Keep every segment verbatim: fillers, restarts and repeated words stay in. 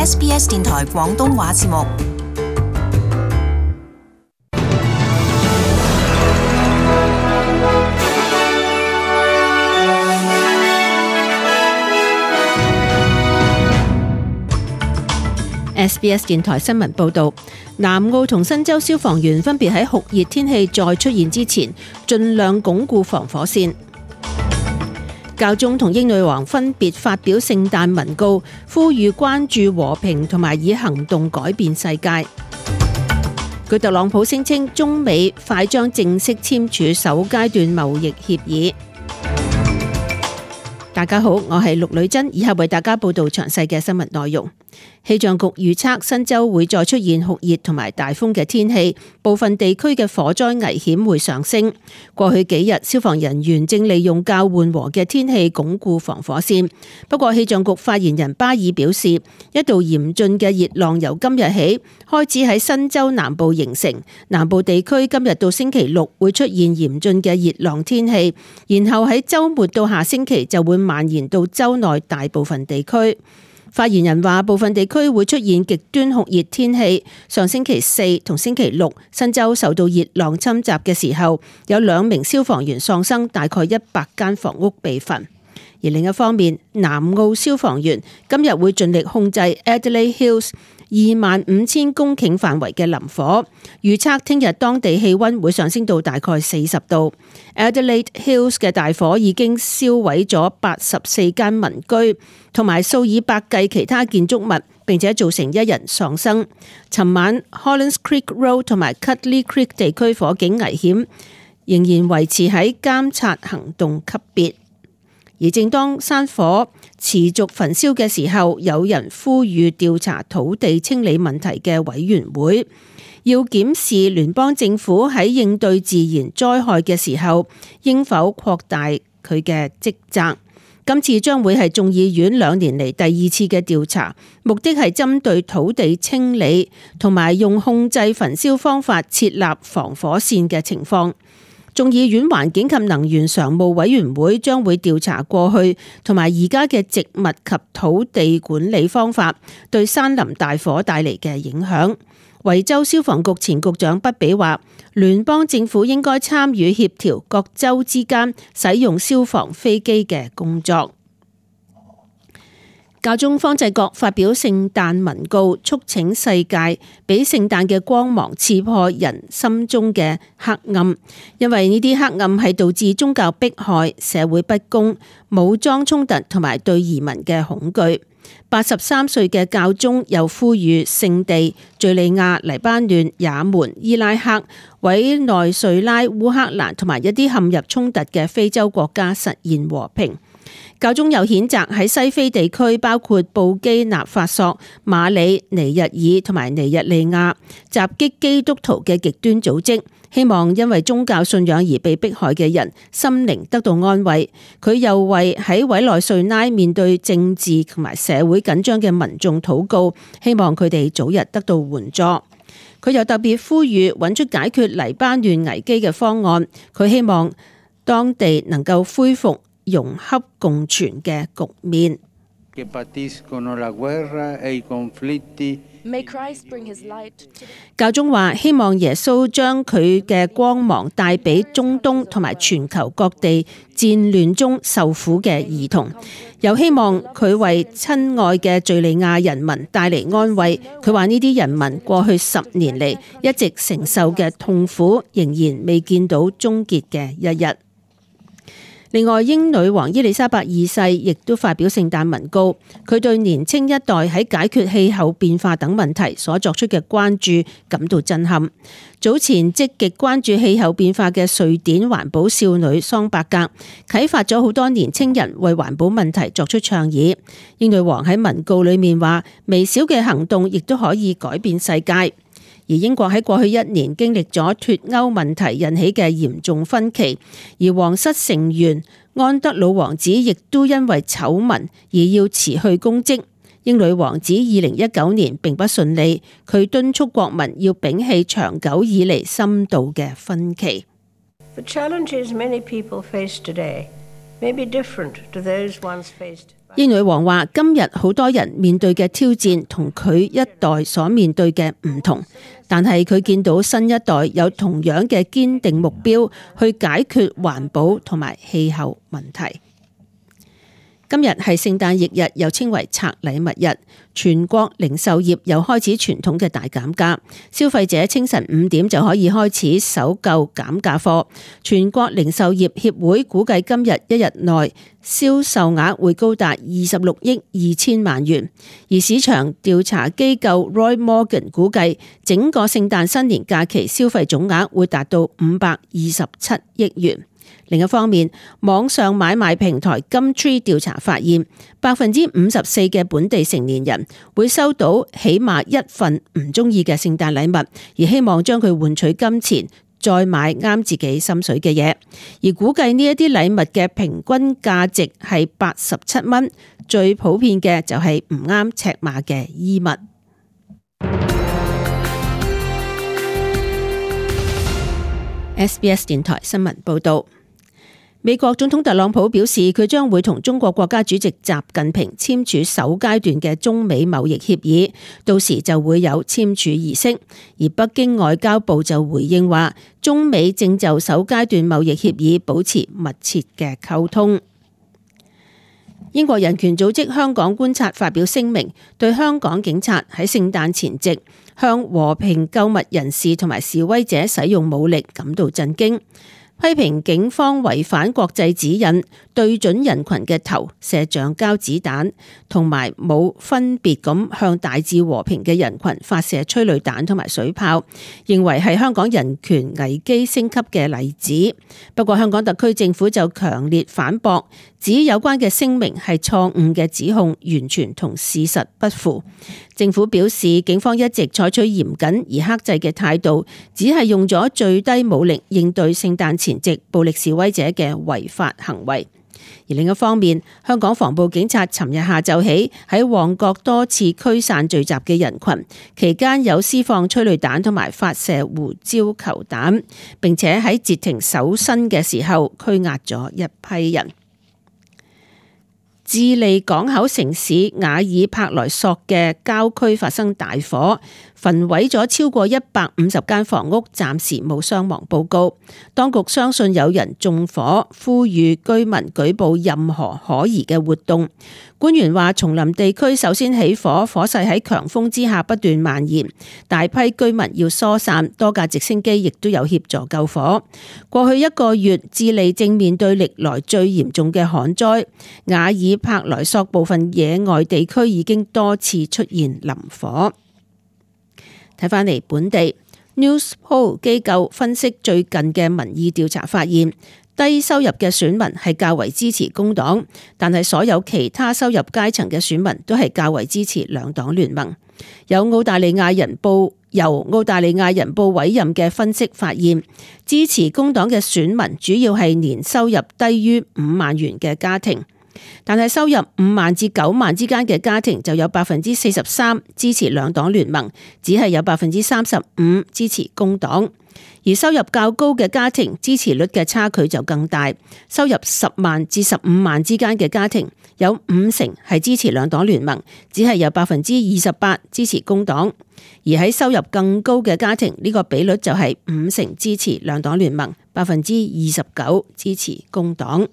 S B S 電台廣東話節目。S B S 電台新聞報道，南澳同新州消防員分別喺酷熱天氣再出現之前，盡量鞏固防火線。教宗同英女王分別發表聖誕文告，呼籲關注和平同埋以行動改變世界。據特朗普聲稱，中美快將正式簽署首階段貿易協議。大家好，我係陸女珍，以下為大家報道詳細嘅新聞內容。氣象局預測新州會再出現酷熱同埋大風嘅天氣，部分地區嘅火災危險會上升。過去幾日，消防人員正利用較緩和嘅天氣鞏固防火線。不過，氣象局發言人巴爾表示，一道嚴峻嘅熱浪由今日起開始喺新州南部形成，南部地區今日到星期六會出現嚴峻嘅熱浪天氣，然後喺週末到下星期就會蔓延到州內大部分地區。發言人話，部分地區會出現極端酷熱天氣。上星期四同星期六，新州受到熱浪侵襲嘅時候，有兩名消防員喪生，大概一百間房屋被焚。而另一方面，南澳消防員今日會盡力控制 Adelaide Hills 二萬五千公頃範圍嘅林火，預測聽日當地氣溫會上升到大概四十度。Adelaide Hills 嘅大火已經燒毀咗八十四間民居，同埋數以百計其他建築物，並且造成一人喪生。尋晚 Hollands Creek Road 同埋 Cutley Creek 地區火警危險仍然維持喺監察行動級別。而正當山火持續焚燒嘅時候，有人呼籲調查土地清理問題嘅委員會，要檢視聯邦政府喺應對自然災害嘅時候，應否擴大佢嘅職責。今次將會係眾議院兩年嚟第二次嘅調查，目的係針對土地清理同埋用控制焚燒方法設立防火線嘅情況。眾議院環境及能源常務委員會將會調查過去同埋而家嘅植物及土地管理方法對山林大火帶嚟嘅影響。維州消防局前局長畢比話，聯邦政府應該參與協調各州之間使用消防飛機嘅工作。教宗方濟各發表聖誕文告，促請世界俾聖誕嘅光芒刺破人心中嘅黑暗，因為呢啲黑暗係導致宗教迫害、社會不公、武裝衝突同埋對移民嘅恐懼。八十三歲嘅教宗又呼籲聖地、敘利亞、黎巴嫩、也門、伊拉克、委內瑞拉、烏克蘭同埋一啲陷入衝突嘅非洲國家實現和平。教宗又譴責喺西非地區，包括布基納法索、馬里、尼日爾同埋尼日利亞襲擊基督徒嘅極端組織，希望因為宗教信仰而被迫害嘅人心靈得到安慰。佢又為喺委內瑞拉面對政治同埋社會緊張嘅民眾禱告，希望佢哋早日得到援助。佢又特別呼籲揾出解決黎巴嫩危機嘅方案，佢希望當地能夠恢復融洽共存嘅局面。教宗話希望耶穌將佢嘅光芒帶俾中東同埋全球各地戰亂中受苦嘅兒童，又希望佢為親愛嘅敘利亞人民帶嚟安慰。佢話呢啲人民過去十年嚟一直承受嘅痛苦，仍然未見到終結嘅一日。另外，英女王伊麗莎白二世亦都發表聖誕文告，佢對年青一代喺解決氣候變化等問題所作出嘅關注感到震撼。早前積極關注氣候變化嘅瑞典環保少女桑伯格，啟發咗好多年青人為環保問題作出倡議。英女王喺文告裏面話，微小嘅行動亦都可以改變世界。而英國喺過去一年經歷咗脫歐問題引起嘅嚴重分歧，而皇室成員安德魯王子亦都因為醜聞而要辭去公職。英女王子二零一九年並不順利，佢敦促國民要摒棄長久以嚟深度嘅分歧。英女王話：今日好多人面對嘅挑戰同佢一代所面對嘅唔同，但係佢見到新一代有同樣嘅堅定目標去解決環保同埋氣候問題。今日係聖誕翌日，又稱為拆禮物日，全國零售業又開始傳統嘅大減價，消費者清晨五點就可以開始搜購減價貨。全國零售業協會估計今日一日內銷售額會高達二十六億二千萬元，而市場調查機構 Roy Morgan 估計整個聖誕新年假期消費總額會達到五百二十七億元。另一方面，網上買賣平台 Gumtree 調查發現，百分之五十四嘅本地成年人會收到起碼一份唔中意嘅聖誕禮物，而希望將佢換取金錢，再買啱自己心水嘅嘢。而估計呢一啲禮物嘅平均價值係八十七蚊，最普遍嘅就係唔啱尺碼嘅衣物。S B S 電台新聞報道。美國總統特朗普表示，佢將會同中國國家主席習近平簽署首階段嘅中美貿易協議，到時就會有簽署儀式。而北京外交部就回應話，中美正就首階段貿易協議保持密切嘅溝通。英國人權組織香港觀察發表聲明，對香港警察喺聖誕前夕向和平購物人士同埋示威者使用武力感到震驚。批評警方違反國際指引，對準人群嘅頭射橡膠子彈，同埋冇分別咁向大致和平嘅人群發射催淚彈同埋水炮，認為係香港人權危機升級嘅例子。不過香港特區政府就強烈反駁，指有關嘅聲明係錯誤嘅指控，完全同事實不符。政府表示，警方一直採取嚴謹而克制嘅態度，只係用咗最低武力應對聖誕前夕暴力示威者嘅違法行為。而另一方面，香港防暴警察尋日下晝起喺旺角多次驅散聚集嘅人群，期間有施放催淚彈同埋發射胡椒球彈，並且喺截停搜身嘅時候拘押咗一批人。智利港口城市瓦爾帕萊索嘅郊區發生大火，焚毀咗超過一百五十間房屋，暫時冇傷亡報告。當局相信有人縱火，呼籲居民舉報任何可疑嘅活動。官員話，叢林地區首先起火，火勢喺強風之下不斷蔓延，大批居民要疏散，多架直升機亦都有協助救火。過去一個月，智利正面對歷來最嚴重嘅旱災，瓦爾帕萊索部分野外地區已經多次出現林火。睇返嚟本地 Newspoll 機構分析最近嘅民意調查發現，低收入嘅選民係較為支持工黨，但係所有其他收入階層嘅選民都係較為支持兩黨聯盟。有澳大利亞人報由澳大利亞人報委任嘅分析發現，支持工黨嘅選民主要係年收入低於五萬元嘅家庭。但係收入五萬至九萬之間嘅家庭就有百分之四十三支持兩黨聯盟，只係有百分之三十五支持工黨。而收入較高嘅家庭支持率嘅差距就更大，收入十萬至十五萬之間嘅家庭有五成係支持兩黨聯盟，只係有百分之二十八支持工黨。而喺收入更高嘅家庭，呢個比率就係五成支持兩黨聯盟，百分之二十九支持工黨。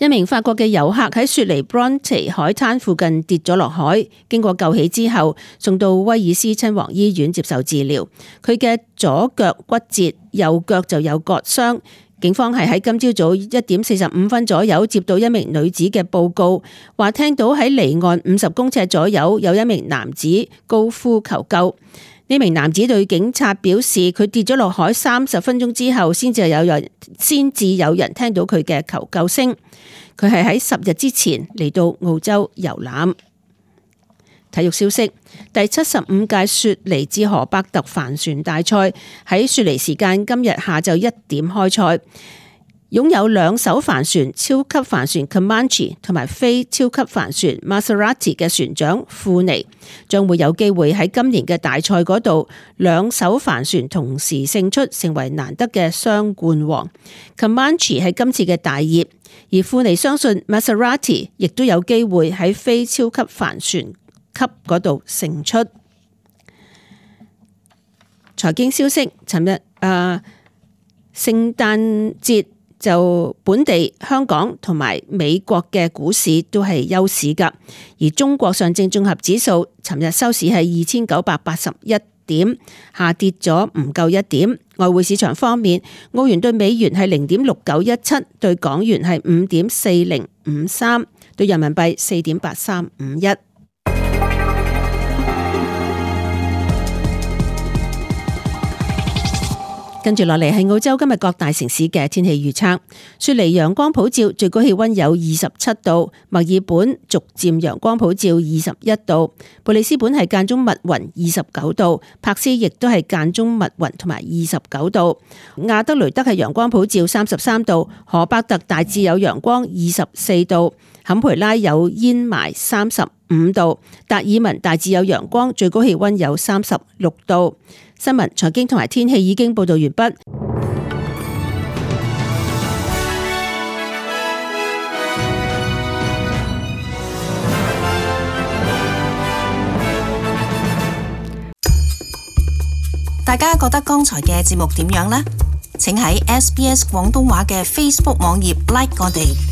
一名法國嘅遊客喺雪梨 Bronte 海灘附近跌咗落海，經過救起之後送到威爾斯親王醫院接受治療。佢嘅左腳骨折，右腳就有割傷。警方係喺今朝早一點四十五分左右接到一名女子嘅報告，話聽到喺離岸五十公尺左右有一名男子高呼求救。呢名男子對警察表示，佢跌咗落海三十分鐘之後，先至有人先至有人聽到佢嘅求救聲。佢係喺十日之前嚟到澳洲遊覽。體育消息：第七十五屆雪梨至荷伯特帆船大賽喺雪梨時間今日下晝一點開賽。擁有兩艘帆船超級帆船 Comanche 同埋非超級帆船 Maserati 嘅船長庫尼，將會有機會喺今年嘅大賽嗰度兩艘帆船同時勝出，成為難得嘅雙冠王。Comanche 係今次嘅大熱，而庫尼相信 Maserati 亦都有機會喺非超級帆船級嗰度勝出。財經消息，尋日誒聖誕節就本地香港同埋美國嘅股市都係休市㗎，而中國上證綜合指數尋日收市係二千九百八十一點，下跌咗唔夠一點。外匯市場方面，澳元對美元係零點六九一七，對港元係五點四零五三，對人民幣四點八三五一。跟住落嚟係澳洲今日各大城市嘅天氣預測。雪梨陽光普照，最高氣溫有二十七度；墨爾本逐漸陽光普照，二十一度；布里斯本係間中密雲，二十九度；柏斯亦都係間中密雲同埋二十九度；亞德雷德係陽光普照，三十三度；荷伯特大致有陽光，二十四度；坎培拉有煙霾，三十五度；達爾文大致有陽光，最高氣溫有三十六度。新聞、財經同埋天氣已經報道完畢。大家覺得剛才嘅節目點樣呢？請喺 S B S 廣東話嘅 Facebook 網頁 like 我哋。